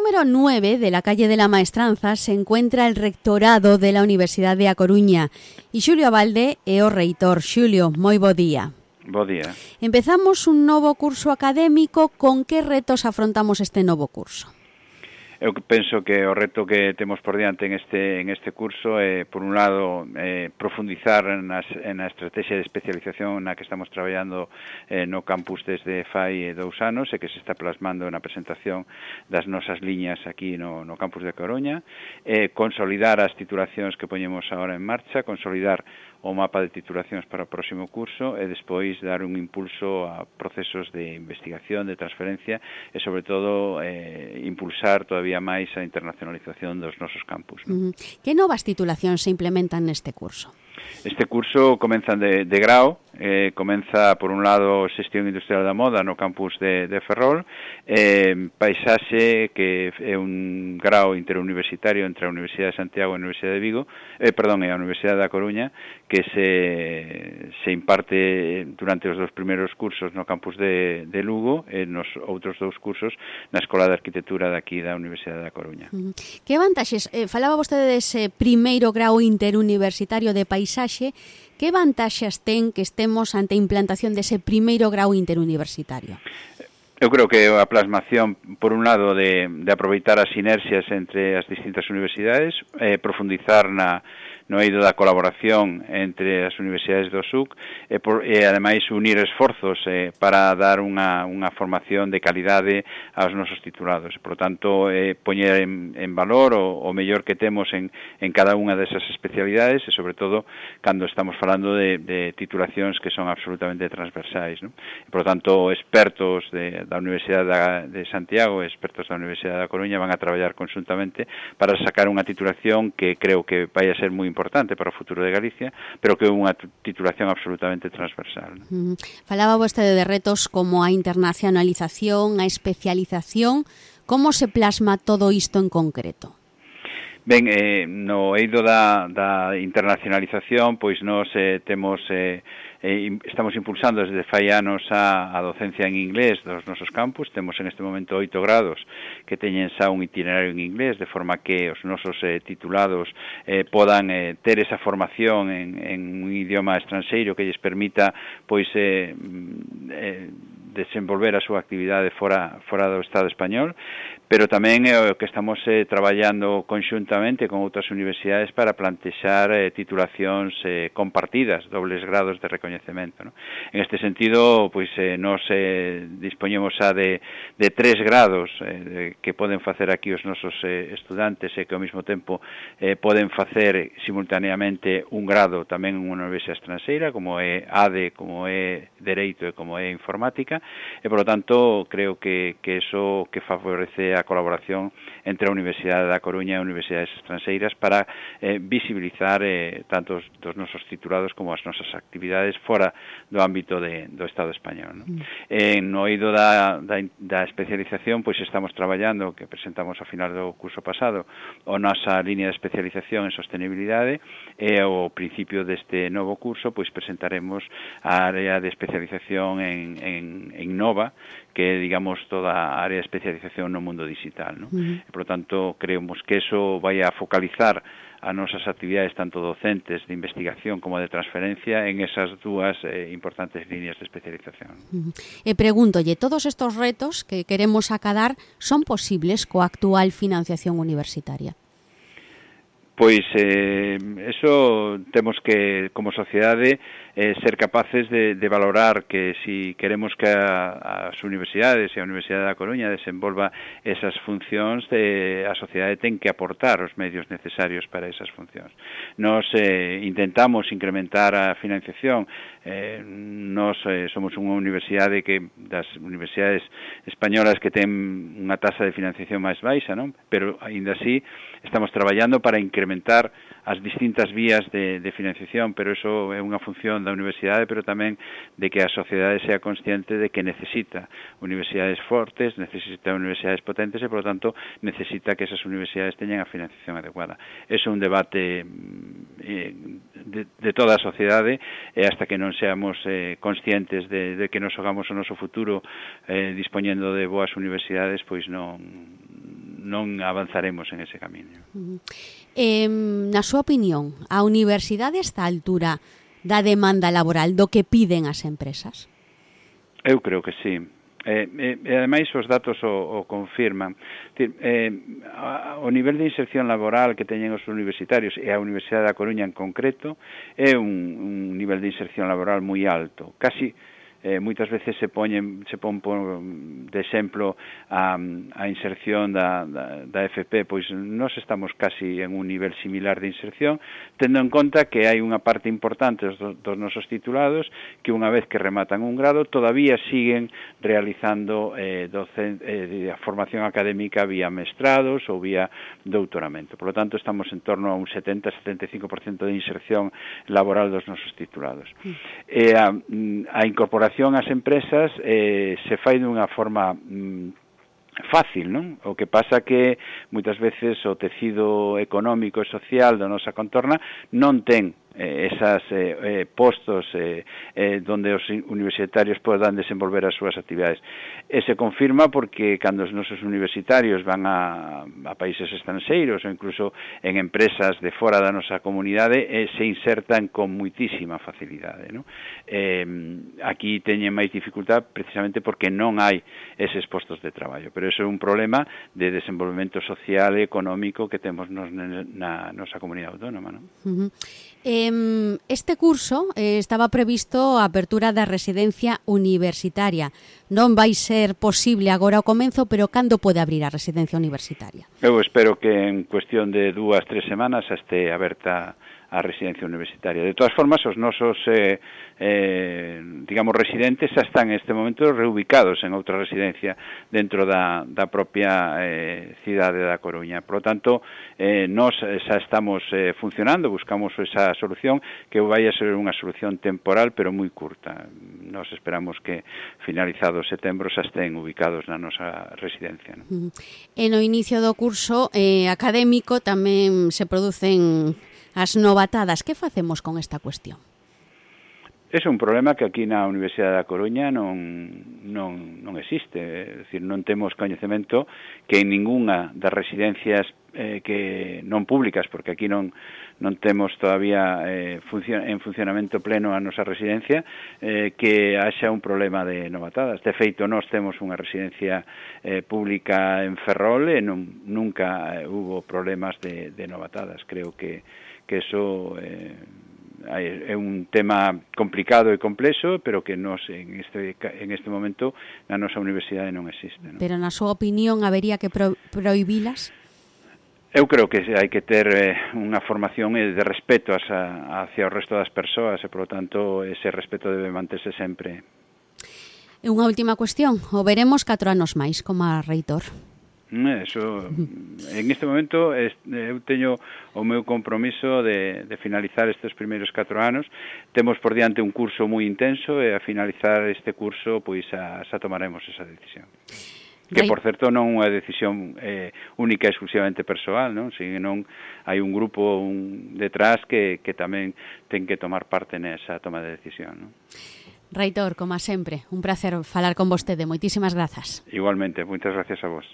número 9 de la calle de la Maestranza se encuentra el rectorado de la Universidade de A Coruña e Xulio Abalde é o reitor. Xulio, moi bo día. Bo día. Empezamos un novo curso académico. Con que retos afrontamos este novo curso? Eu penso que o reto que temos por diante en este curso é, por un lado, profundizar na estrategia de especialización na que estamos traballando no campus desde fai 2 anos e que se está plasmando na presentación das nosas liñas aquí no campus de Coruña, consolidar as titulacións que poñemos agora en marcha, consolidar o mapa de titulacións para o próximo curso e despois dar un impulso a procesos de investigación, de transferencia e, sobre todo, impulsar todavía máis a internacionalización dos nosos campus. Que novas titulacións se implementan neste curso? Este curso comeza de grao, comeza, por un lado, Xestión Industrial da Moda no campus de Ferrol, Paisaxe, que é un grao interuniversitario entre a Universidade de Santiago e a Universidade de Vigo, e a Universidade da Coruña, que se imparte durante os 2 primeiros cursos no campus de Lugo e nos outros 2 cursos na Escola de Arquitectura daqui da Universidade da Coruña. Que vantaxes? Falaba vostede dese primeiro grao interuniversitario de Paisaxe. Que vantaxes ten que estemos ante a implantación dese primeiro grau interuniversitario? Eu creo que a plasmación, por un lado, de aproveitar as sinerxias entre as distintas universidades, profundizar no eido da colaboración entre as universidades do SUC e ademais unir esforzos para dar unha formación de calidade aos nosos titulados. Por tanto, poñer en valor o mellor que temos en cada unha desas especialidades e, sobre todo, cando estamos falando de titulacións que son absolutamente transversais, ¿no? Por tanto, expertos da Universidade de Santiago e expertos da Universidade da Coruña van a traballar conjuntamente para sacar unha titulación que creo que vai a ser moi importante para o futuro de Galicia, pero que é unha titulación absolutamente transversal. Falaba vostede de retos como a internacionalización, a especialización. Como se plasma todo isto en concreto? Ben, no eido da internacionalización, pois nós temos... estamos impulsando desde fai anos a docencia en inglés dos nosos campus. Temos en este momento 8 grados que teñen xa un itinerario en inglés, de forma que os nosos titulados podan ter esa formación en un idioma estranxeiro que lles permita pois desenvolver a súa actividade fora do Estado español, pero tamén é o que estamos traballando conxuntamente con outras universidades para plantexar titulacións compartidas, dobles grados de recoñecemento, ¿no? En este sentido, pois nos dispoñemos xa de 3 grados que poden facer aquí os nosos estudantes e que ao mesmo tempo poden facer simultaneamente un grado tamén en unha universidade estranxeira, como é ADE, como é Dereito e como é Informática, e, por lo tanto, creo que eso que favorece a colaboración entre a Universidade da Coruña e as universidades estranxeiras para visibilizar tanto dos nosos titulados como as nosas actividades fora do ámbito do Estado español, ¿no? No eido da especialización, pois estamos traballando, que presentamos ao final do curso pasado, a nosa línea de especialización en sostenibilidade, e ao principio deste novo curso, pois presentaremos a área de especialización en Nova, que é, digamos, toda a área de especialización no mundo digital, ¿no? E, por lo tanto, creemos que eso vai a focalizar as nosas actividades tanto docentes de investigación como de transferencia en esas 2 importantes líneas de especialización. E pregúntolle, todos estos retos que queremos acadar son posibles coa actual financiación universitaria? Pois eso temos que, como sociedade, ser capaces de valorar que si queremos que as universidades e a Universidade da Coruña desenvolva esas funcións, a sociedade ten que aportar os medios necesarios para esas funcións. Nos intentamos incrementar a financiación. Nos somos unha universidade das universidades españolas que ten unha tasa de financiación máis baixa, non? Pero, aínda así, estamos traballando para incrementar as distintas vías de financiación, pero eso é unha función da universidade, pero tamén de que a sociedade sea consciente de que necesita universidades fortes, necesita universidades potentes e, por lo tanto, necesita que esas universidades teñan a financiación adecuada. Eso é un debate de toda a sociedade, e hasta que non seamos conscientes de que nos hogamos o noso futuro dispoñendo de boas universidades, pois non non avanzaremos en ese camiño. Na súa opinión, a universidade está á altura da demanda laboral do que piden as empresas? Eu creo que sí. E ademais os datos o confirman. O nivel de inserción laboral que teñen os universitarios e a Universidade da Coruña en concreto é un nivel de inserción laboral moi alto. Casi moitas veces se pon de exemplo a inserción da FP, pois nós estamos casi en un nivel similar de inserción, tendo en conta que hai unha parte importante dos nosos titulados que unha vez que rematan un grado todavía siguen realizando a formación académica vía mestrados ou vía doutoramento. Por lo tanto, estamos en torno a un 70-75% de inserción laboral dos nosos titulados. A incorporación ás empresas se fai dunha forma fácil, non? O que pasa que moitas veces o tecido económico e social da nosa contorna non ten esas postos donde os universitarios podan desenvolver as súas actividades. E se confirma porque cando os nosos universitarios van a países estranxeiros ou incluso en empresas de fora da nosa comunidade se insertan con moitísima facilidade, non? Aquí teñen máis dificultad precisamente porque non hai eses postos de traballo, pero eso é un problema de desenvolvemento social e económico que temos na nosa comunidade autónoma, non? Este curso estaba previsto a apertura da residencia universitaria. Non vai ser posible agora ao comenzo, pero cando pode abrir a residencia universitaria? Eu espero que en cuestión de 2-3 semanas este aberta a residencia universitaria. De todas formas, os nosos digamos, residentes xa están en este momento reubicados en outra residencia dentro da propia cidade da Coruña. Por lo tanto, nós xa estamos funcionando, buscamos esa solución que vai a ser unha solución temporal, pero moi curta. Nós esperamos que finalizado setembro xa estén ubicados na nosa residencia, non? E no inicio do curso académico tamén se producen as novatadas. Que facemos con esta cuestión? É un problema que aquí na Universidade da Coruña non existe, é dicir, non temos coñecemento que en ningunha das residencias que non públicas, porque aquí non temos todavía en funcionamento pleno a nosa residencia, que haxa un problema de novatadas. De feito, nós temos unha residencia pública en Ferrol e nunca hubo problemas de novatadas. Creo que eso é un tema complicado e complexo, pero que nos en este momento na nosa universidade non existe, non? Pero na súa opinión habería que prohibilas? Eu creo que hai que ter unha formación de respeto hacia o resto das persoas e, por lo tanto, ese respeto debe manterse sempre. E unha última cuestión. O veremos 4 anos máis como reitor? Eso, en este momento eu teño o meu compromiso de finalizar estes primeiros 4 anos. Temos por diante un curso moi intenso e a finalizar este curso pois xa tomaremos esa decisión. Que, por certo, non é unha decisión única e exclusivamente persoal, non? Senón hai un grupo detrás que tamén ten que tomar parte nesa toma de decisión, non? Reitor, como sempre, un placer falar con vostede. Moitísimas grazas. Igualmente, moitas gracias a vos.